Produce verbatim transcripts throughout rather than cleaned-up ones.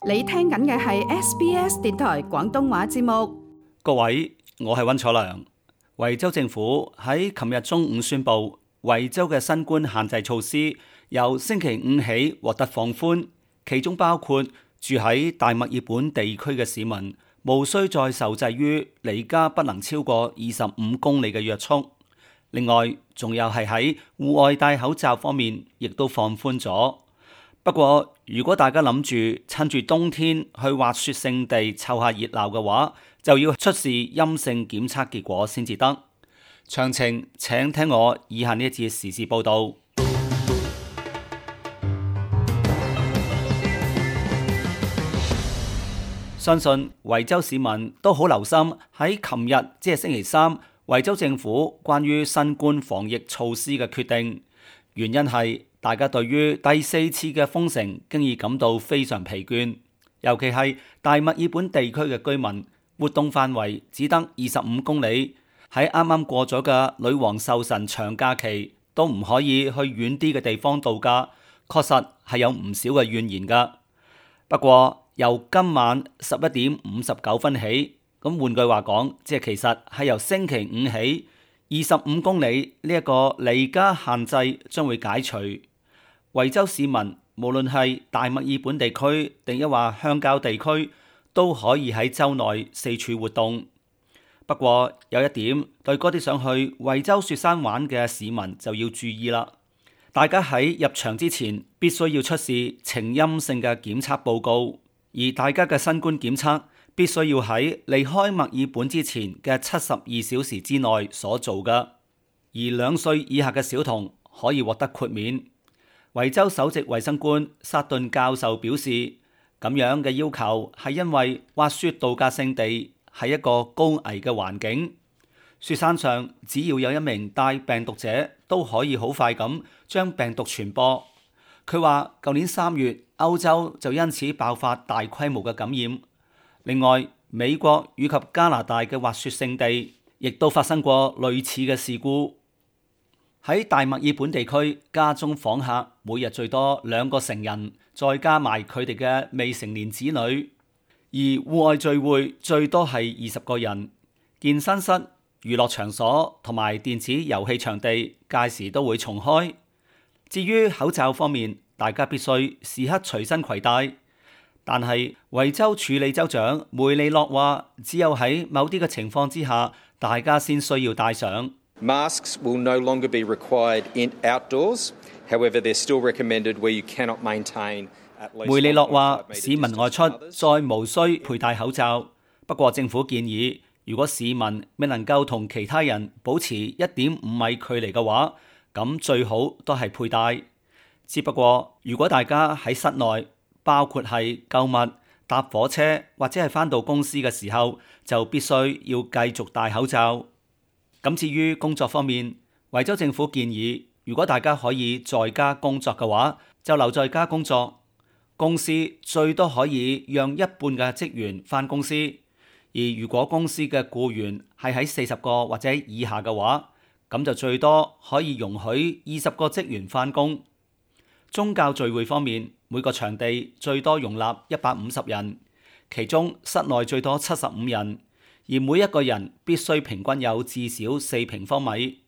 你聽緊嘅係 S B S 電台廣東話節目。各位，我係溫楚良。維州政府喺琴日中午宣布，維州嘅新冠限制措施由星期五起獲得放寬，其中包括住喺大墨爾本地區嘅市民無需再受制於離家不能超過二十五公里嘅約束。另外，仲有係喺戶外戴口罩方面，亦都放寬咗。不過，如果大家諗住趁住冬天去滑雪勝地湊下熱鬧嘅話，就要出示陰性檢測結果先至得。詳情請聽我以下呢一節時事報道。相信維州市民都好留心喺琴日，即係星期三，維州政府關於新冠防疫措施嘅決定。原因係大家對於第四次嘅封城經已感到非常疲倦，尤其係大墨爾本地區嘅居民，活動範圍只得二十五公里，喺啱啱過咗嘅女王壽辰長假期都唔可以去遠啲嘅地方度假，確實係有唔少嘅怨言㗎。不過由今晚十一點五十九分起，咁換句話講，即係其實係由星期五起，二十五公里呢一個離家限制將會解除。維州市民無論係大墨爾本地區定抑或鄉郊地區，都可以喺州內四處活動。不過有一點，對嗰啲想去維州雪山玩嘅市民就要注意啦。大家喺入場之前必須要出示呈陰性嘅檢測報告，而大家嘅新冠檢測必須要喺離開墨爾本之前嘅七十二小時之內所做嘅。而兩歲以下嘅小童可以獲得豁免。維州首席衛生官薩頓教授表示，咁樣嘅要求係因為滑雪度假勝地係一個高危嘅環境，雪山上只要有一名帶病毒者都可以好快咁將病毒傳播。佢話舊年三月歐洲就因此爆發大規模嘅感染。另外，美國以及加拿大嘅滑雪勝地亦都發生過類似嘅事故。喺大墨爾本地區，家中訪客每日最多兩個成人，再加埋佢哋嘅未成年子女。而戶外聚會最多係二十個人。健身室、娛樂場所同埋電子遊戲場地屆時都會重開。至於口罩方面，大家必須時刻隨身攜帶。但係維州處理州長梅利諾話，只有喺某啲嘅情況之下，大家先需要戴上。Masks will no longer be required in outdoors. However, they're still recommended where you cannot maintain at least. 梅利諾話，市民外出再無需佩戴口罩。不過政府建議，如果市民未能夠同其他人保持一點五米距離嘅話，咁最好都係佩戴。只不過如果大家喺室內，包括係購物、搭火車或者係返到公司嘅時候，就必須要繼續戴口罩。咁至於工作方面，維州政府建議，如果大家可以在家工作嘅話，就留在家工作。公司最多可以讓一半嘅職員返公司，而如果公司嘅僱員係喺四十個或者以下嘅話，咁就最多可以容許二十個職員返工。宗教聚會方面，每個場地最多容納一百五十人，其中室內最多七十五人。而每一個人必須平均有至少四平方米。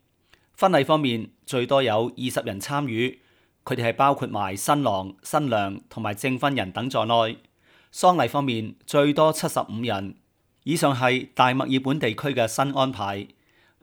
婚禮方面，最多有二十人參與，佢哋係包括埋新郎、新娘同埋證婚人等在內。喪禮方面，最多七十五人。以上係大墨爾本地區嘅新安排。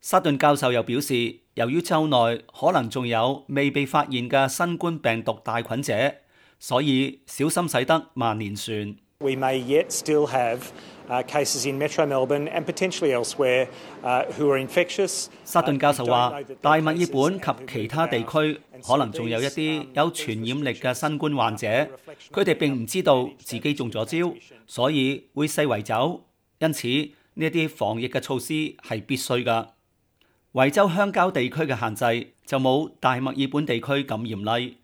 沙頓教授又表示，由於州內可能仲有未被發現嘅新冠病毒帶菌者，所以小心駛得萬年船。We may yet still have Uh, cases in Metro Melbourne and potentially elsewhere uh, who are infectious. 沙頓教授話，大墨爾本及其他地區可能仲有一啲有傳染力嘅新冠患者，佢哋並唔知道自己中咗招，所以會四圍走。因此呢一啲防疫嘅措施係必須㗎。維州鄉郊地區嘅限制就冇大墨爾本地區咁嚴厲，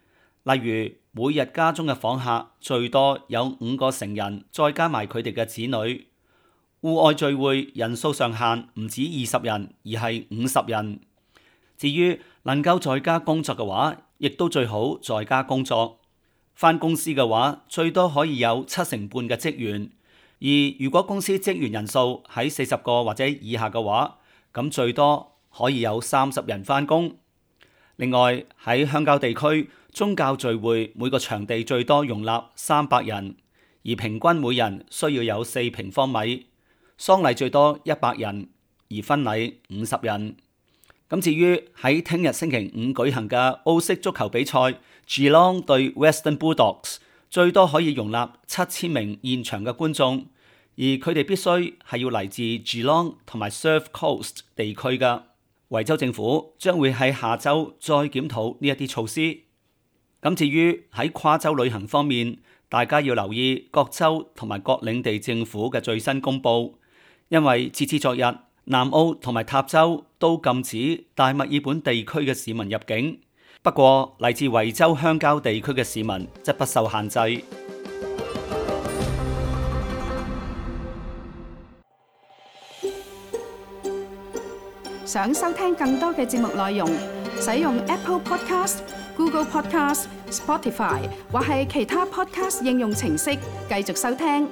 例如每日家中嘅訪客最多有五個成人，再加埋佢哋嘅子女。戶外聚會人數上限唔止二十人，而係五十人。至於能夠在家工作嘅話，亦都最好在家工作。返公司嘅話，最多可以有七成半嘅職員。而如果公司職員人數喺四十個或者以下嘅話，咁最多可以有三十人返工。另外喺鄉郊地區，宗教聚會每個場地最多容納三百人，而平均每人需要有四平方米。喪禮最多一百人，而婚禮五十人。咁至於喺聽日星期五舉行嘅澳式足球比賽 Geelong 對 Western Bulldogs，最多可以容納七千名現場嘅觀眾，而佢哋必須係要嚟自 Geelong 同埋 Surf Coast 地區嘅。維州政府將會喺下週再檢討呢一啲措施。咁至於喺跨州旅行方面，大家要留意各州同埋各領地政府嘅最新公佈，因為截至昨日，南澳同埋塔州都禁止大墨爾本地區嘅市民入境。不過嚟自維州鄉郊地區嘅市民則不受限制。想收聽更多嘅節目內容，使用 Apple Podcast、Google Podcast、Spotify 或係其他 Podcast 應用程式繼續收聽。